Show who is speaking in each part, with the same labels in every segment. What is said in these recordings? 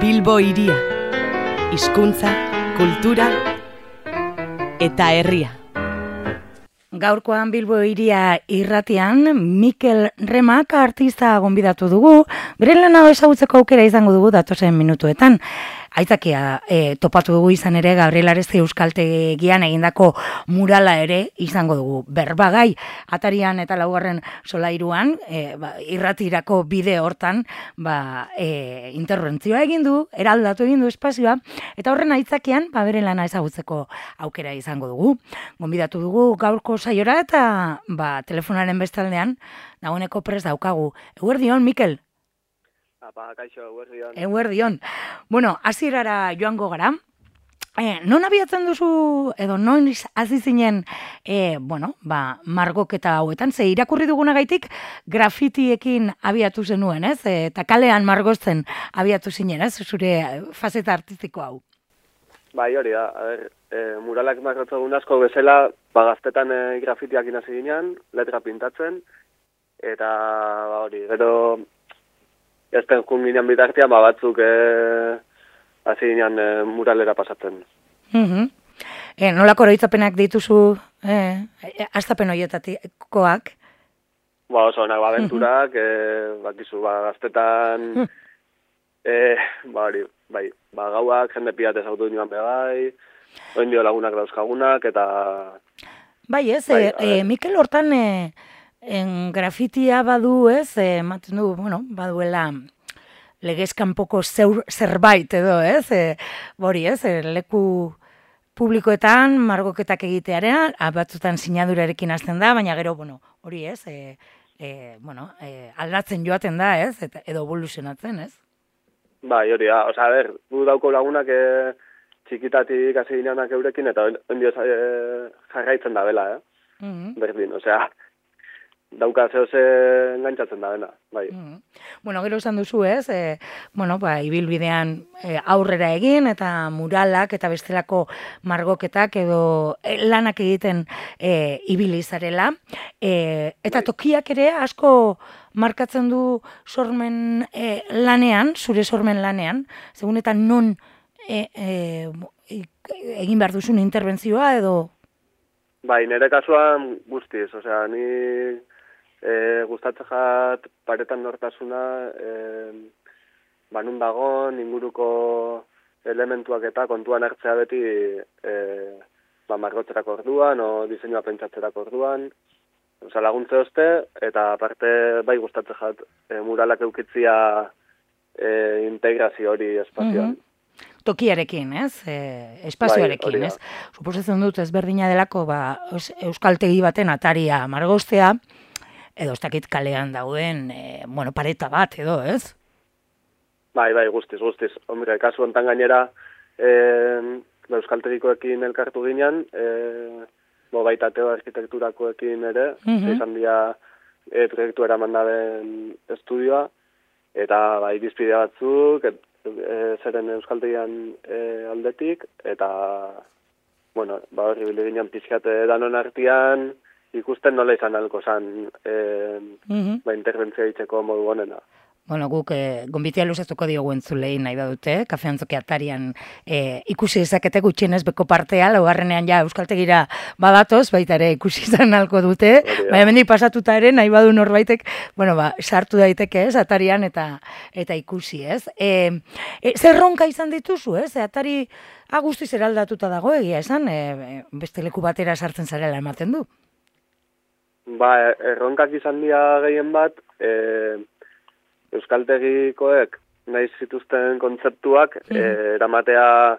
Speaker 1: Bilbo hiria, hizkuntza, kultura eta herria.
Speaker 2: Gaurkoan Bilbo hiria irratian Mikel Remak artista gonbidatu dugu. Bere lana ezagutzeko aukera izango dugu datozen minutuetan. Aitzakia topatu dugu izan ere Gabriel Aresti Euskaltegian egindako murala ere izango dugu. Berbagai atarian eta laugarren solairuan irratirako bide hortan interbentzioa egin du, eraldatu egin du espazioa eta horren aitzakian bere lana ezagutzeko aukera izango dugu. Gonbidatu dugu gaurko saiora eta telefonaren bestaldean dagoeneko prest daukagu. Eguerdion, Mikel.
Speaker 3: Kaixo, eguerdion.
Speaker 2: Eguerdion. Bueno, hasierara joango gara. Non abiatzen duzu, edo non hasi zinen, margoketa hauetan, ze irakurri dugunagaitik grafitiekin abiatu zenuen, ez? Eta kalean margozten abiatu zinen, ez? Zure fazeta artistiko hau.
Speaker 3: Bai, hori da. Muralak margotzegun asko bezala, gaztetan grafitiak inasi ginen, letra pintatzen, eta hori, gero ezten jun ginen bitartean, batzuk hasi ginen muralera pasatzen.
Speaker 2: Nolako oroitzapenak dituzu hastapen horietakoak?
Speaker 3: Oso onak abenturak, bakizu, gaztetan, gauak, jende pilatez auto nioan bebai, oindio lagunak dauzkagunak, eta...
Speaker 2: Bai, ez, Mikel hortan grafitia badu, ez, ematen du, baduela legezkanpoko zerbait edo, ez, leku publikoetan margoketak egitearen, batzutan sinadurarekin hasten da, baina gero, hori ez, aldatzen joaten da, ez, edo evoluzionatzen, ez?
Speaker 3: Bai, hori da, gu dauko lagunak txikitatik hasi gineanak eurekin, eta ondio jarraitzen da bela, berdin, dauka zehose engantzatzen da dena, bai.
Speaker 2: Gero esan duzu, ez, ibilbidean aurrera egin, eta muralak, eta bestelako margoketak, edo lanak egiten ibili zarela, eta tokiak ere asko markatzen du sormen lanean, zure sormen lanean, segun eta non egin behar duzun interbentzioa, edo...
Speaker 3: Bai, nire kasuan guztiz, ni gustatzen jat paretan nortasuna, nun dagon, inguruko elementuak eta kontuan hartzea beti margotzerako orduan, o diseinua pentsatzerako orduan, laguntze oste, eta aparte bai gustatzen jat muralak eukitzia integrazio hori espazioan.
Speaker 2: Tokiarekin, ez? Espazioarekin, ez? Suposatzen dut ezberdina delako euskaltegi baten ataria margoztea, edo ez dakit kalean dauden, pareta bat, edo, ez?
Speaker 3: Bai, guztiz. Hombre, kasu hontan gainera, euskaltegikoekin elkartu ginen, baita teo arkitekturakoekin ere, izan dira proiektu eraman daben estudioa, eta irizpide batzuk, zeren euskaltegian aldetik, eta, horri bildu ginen pizkate danon artean, ikusten nola izan alko zan interbentzia ditzeko modu honena.
Speaker 2: Guk gonbitea luzatuko diogu entzulei nahi badute, Kafe Antzoki atarian ikusi dezakete gutxienez beko partea, laugarrenean euskaltegira badatoz, baita ere ikusi izan alko dute, baina mendik pasatuta ere nahi badu norbaitek, sartu daiteke ez, atarian eta ikusi ez. Zer ronka izan dituzu, ez? Atari guztiz eraldatuta dago egia esan, beste leku batera sartzen zarela ematen du.
Speaker 3: Erronkak izan dira gehien bat, euskaltegikoek nahi zituzten kontzeptuak eramatea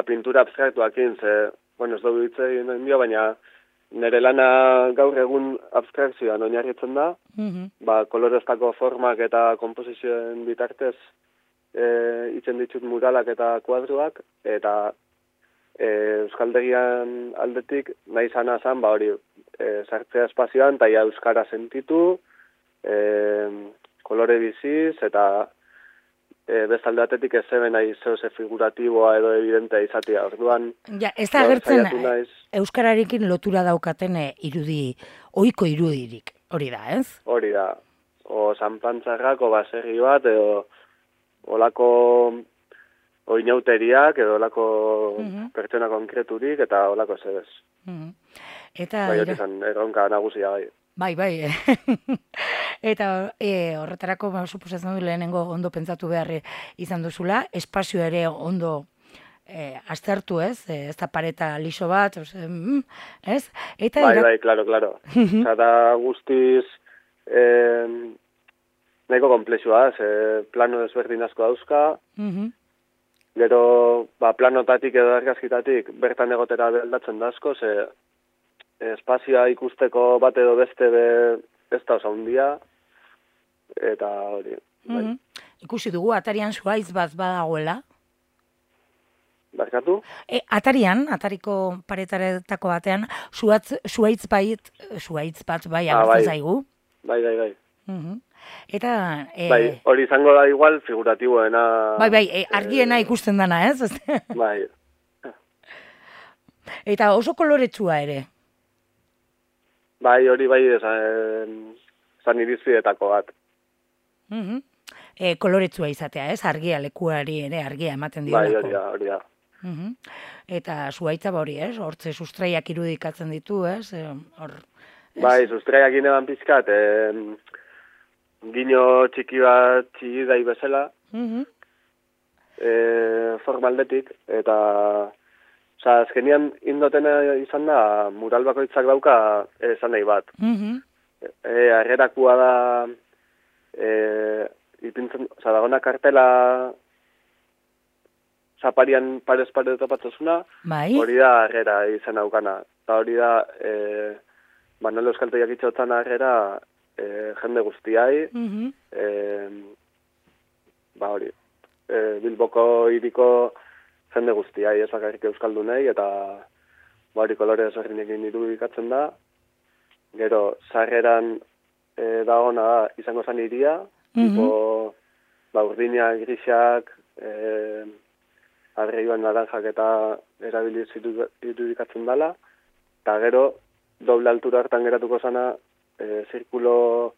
Speaker 3: pintura abstraktuakin, ez dugu hitz egin dio, baina nire lana gaur egun abstrakzioan oinarritzen da, koloreztako formak eta komposizioen bitartez itzen ditut muralak eta kuadruak, eta euskaltegian aldetik nahi zana zan, hori sartzea espazioan, eta euskara sentitu, kolore biziz, eta bestalde batetik ez zeben nahi zehose figuratiboa edo evidentea izatea. Orduan,
Speaker 2: ez da agertzen euskararekin lotura daukaten ohiko irudirik, hori da, ez?
Speaker 3: Hori da. O Sanpantzarrako baserri bat, edo olako oinauteriak edo olako pertsona konkreturik eta olako zebez.
Speaker 2: Eta
Speaker 3: bai, hori izan, erronka nagusia bai.
Speaker 2: Bai. Eta horretarako, suposatzen du lehenengo ondo pentsatu behar izan duzula, espazio ere ondo aztertu, ez? Ez da pareta liso bat, ez? Eta
Speaker 3: bai, claro. Eta guztiz nahiko komplexua, plano desberdin asko dauzka, gero planotatik edo argazkitatik bertan egotera beldatzen da asko, espazioa ikusteko bat edo beste ez da oso handia, eta hori. Bai.
Speaker 2: Ikusi dugu, atarian zuhaitz bat badagoela.
Speaker 3: Barkatu?
Speaker 2: Atariko paretaretako batean, zuhaitz bat bai agertzen zaigu.
Speaker 3: Bai.
Speaker 2: Eta...
Speaker 3: hori izango da igual figuratiboena...
Speaker 2: Bai, argiena ikusten dana, ez?
Speaker 3: Bai.
Speaker 2: Eta oso koloretsua ere.
Speaker 3: Bai, hori esan irizpidetako bat.
Speaker 2: Koloretsua izatea, ez? Argia lekuari ere argia ematen diolako.
Speaker 3: Bai, hori da.
Speaker 2: Eta zuhaitza hori, ez? Hortze sustraiak irudikatzen ditu, ez?
Speaker 3: Bai, sustraiak ineban pizkat, gino txiki bat txigidai bezala, formaldetik, eta azkenian indotena izan da, mural bakoitzak dauka esan nahi bat. Arrerakua da, ipintzen, dagona kartela zaparian parez-pare topatzosuna, hori da arrera izan aukana. Eta hori da, Manolo Euskaltegiak itxotan arrera jende guztiai, hori, Bilboko hiriko jende guztiai, ez bakarrik euskaldunei, eta hori kolore ezberdinekin irudikatzen da. Gero, sarreran dagona da, izango zen hiria, urdinak, grisak, arreioan naranjak eta erabiliz irudikatzen dela, eta gero, doble altura hartan geratuko zana, zirkulo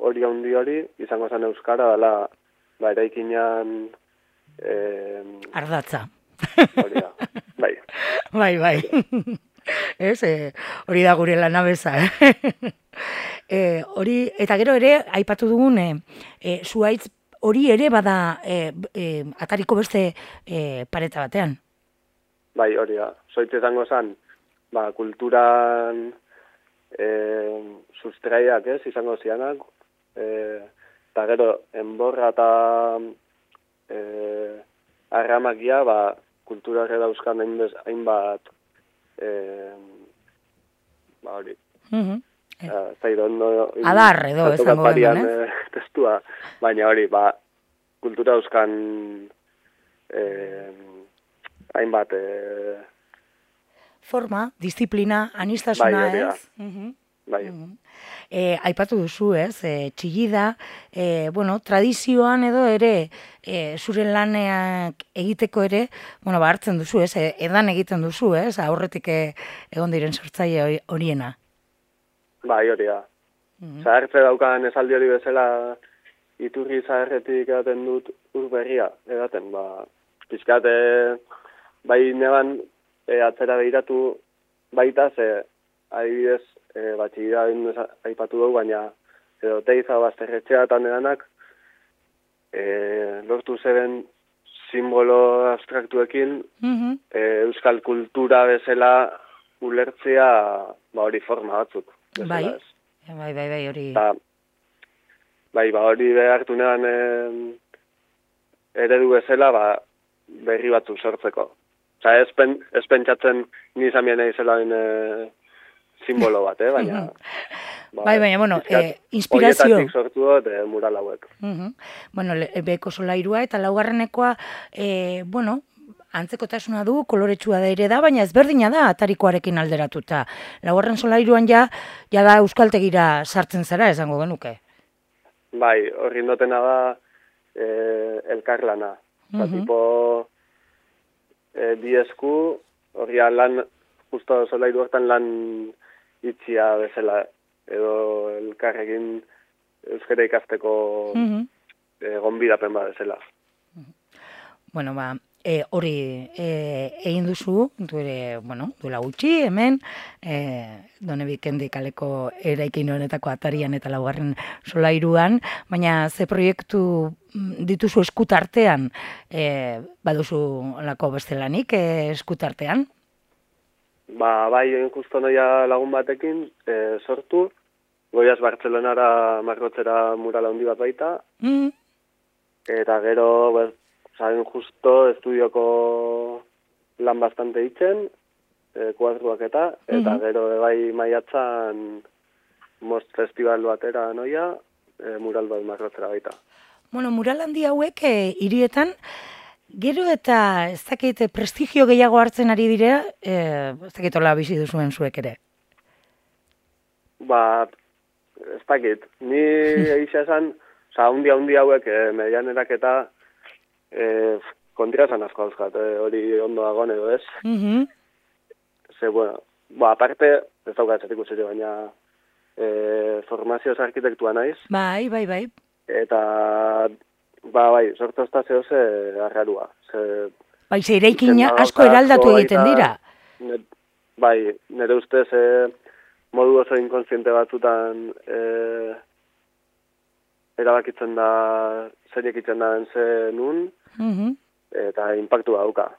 Speaker 3: hori handi izango zen euskara, dela, eraikinan...
Speaker 2: Ardatza.
Speaker 3: Hori da, bai.
Speaker 2: Bai. Ez, hori da gure lanabeza, hori, eta gero ere, aipatu dugun, zuhaitz hori ere bada atariko beste pareta batean.
Speaker 3: Bai, hori da. Zoitz izango zen, kulturan sustraiak izango zianak, eta gero, enborra eta arramakia, kulturak dauzkan hainbat hori.
Speaker 2: Adar edo esango den,
Speaker 3: testua, baina hori, kultura dauzkan hainbat
Speaker 2: forma, disiplina, anistasuna, ez?
Speaker 3: Bai.
Speaker 2: Aipatu duzu, ez? Txillida, tradizioan edo ere, zure laneak egiteko ere, hartzen duzu, ez? Edan egiten duzu, ez? Aurretik egon diren sortzaile horiena.
Speaker 3: Bai, hori da. Zahartze daukan esaldi hori bezala, iturri zaharretik edaten dut urberria, edaten, pizkat, bai neban atzera behiratu baita, adibidez, batxigida aipatu dugu, baina edo teiza bazterretxeatan edanak, lortu zeben simbolo abstraktuekin, euskal kultura bezala ulertzea hori forma batzuk.
Speaker 2: Bai, hori.
Speaker 3: Hori behartu neban eredu bezala berri batzuk sortzeko. Ez pentsatzen nizamien izela simbolo bat, baina...
Speaker 2: baina, inspirazio...
Speaker 3: Horietatik sortu dut mural hauek.
Speaker 2: Beko solairua eta laugarrenekoa, antzekotasuna du, koloretsua da ere da, baina ezberdina da atarikoarekin alderatuta. Laugarren solairuan ja da euskaltegira sartzen zara, esango genuke.
Speaker 3: Bai, horri indotena da elkarlana. Tipo, diesku, horri lan, justo solairu hortan lan itxia bezala, edo elkarrekin euskara ikasteko gonbidapen bat bezala.
Speaker 2: hori egin duzu, duela gutxi, hemen, Donebikendi kaleko eraikin honetako atarian eta laugarren solairuan, baina ze proiektu dituzu eskutartean, baduzu olako bestelanik eskutartean?
Speaker 3: Bai, justo noia lagun batekin sortu, goiaz Bartzelonara margotzera mural handi bat baita, eta gero, saben justo estudioko lan bastante itzen, kuadruak eta gero bai maiatzan Most Festival batera noia, mural bat margotzera baita.
Speaker 2: Bueno, mural handi hauek hirietan, gero eta ez dakit prestigio gehiago hartzen ari dira, ez dakit hola bizi duzuen zuek ere.
Speaker 3: Ez dakit, ni egisa esan, handi hauek medianerak eta kontra esan asko dauzkat, hori ondo dagoen edo ez. Ze, aparte, ez dauka etxetik usere, baina formazioz arkitektua naiz.
Speaker 2: Bai.
Speaker 3: Eta, bai, sortozta zehoze arrarua.
Speaker 2: Bai, ze eraikin asko eraldatu egiten dira.
Speaker 3: Bai, nire ustez modu oso inkonsiente batzutan erabakitzen da, zeinek itzen da nun, eta impactu dauka.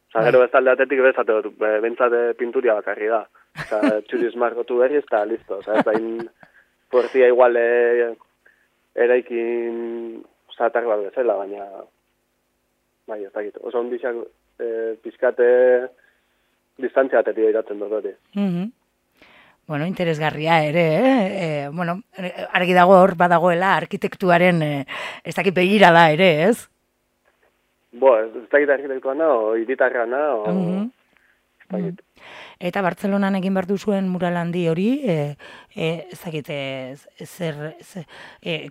Speaker 3: Gero bestalde atetik bezate dut, bentsate pinturia bakarri da. Txuriz margotu berriz, eta listo. Ez da, portia igual eraikin zatar bat bezala, baina bai, ez dakit. Oso ondixak pizkate distantzia atetik iratzen dut hori.
Speaker 2: Bueno, interesgarria ere, argi dago hor badagoela arkitektuaren ez dakit begira da ere, ez?
Speaker 3: Ez dakit arkitektua naho, hiritarra naho, ez dakit.
Speaker 2: Eta Bartzelonan egin behar duzuen mural handi hori, ez dakit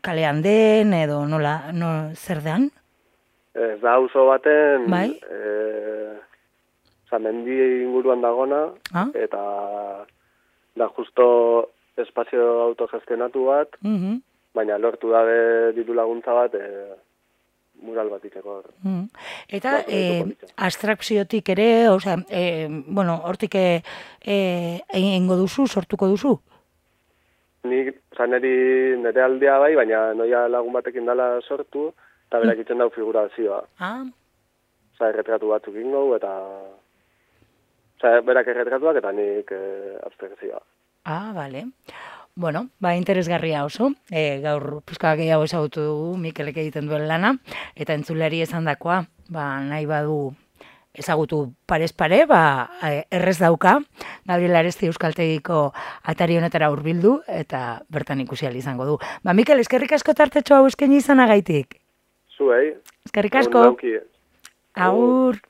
Speaker 2: kalean den edo zer den?
Speaker 3: Ez da auzo baten, mendi inguruan dagona, eta da justo espazio autogestionatu bat, baina lortu dabe diru laguntza bat mural bat iteko.
Speaker 2: Eta abstrakziotik ere, hortik egingo duzu, sortuko duzu?
Speaker 3: Nire aldea bai, baina noia lagun batekin dala sortu, eta berak itzen dau figurazioa. Erretratu batzuk ingo, eta berak erretratuak eta nik abstrakzioa.
Speaker 2: Bale. Bueno, interesgarria oso. Gaur pizka gehiago ezagutu dugu Mikelek egiten duen lana, eta entzulari esandakoa, nahi badu ezagutu parez pare, errez dauka, Gabriel Aresti Euskaltegiko atari honetara hurbildu eta bertan ikusi ahal izango du. Mikel, eskerrik asko tartetxo hau eskaini izanagaitik.
Speaker 3: Zuei.
Speaker 2: Eskerrik asko. Agur.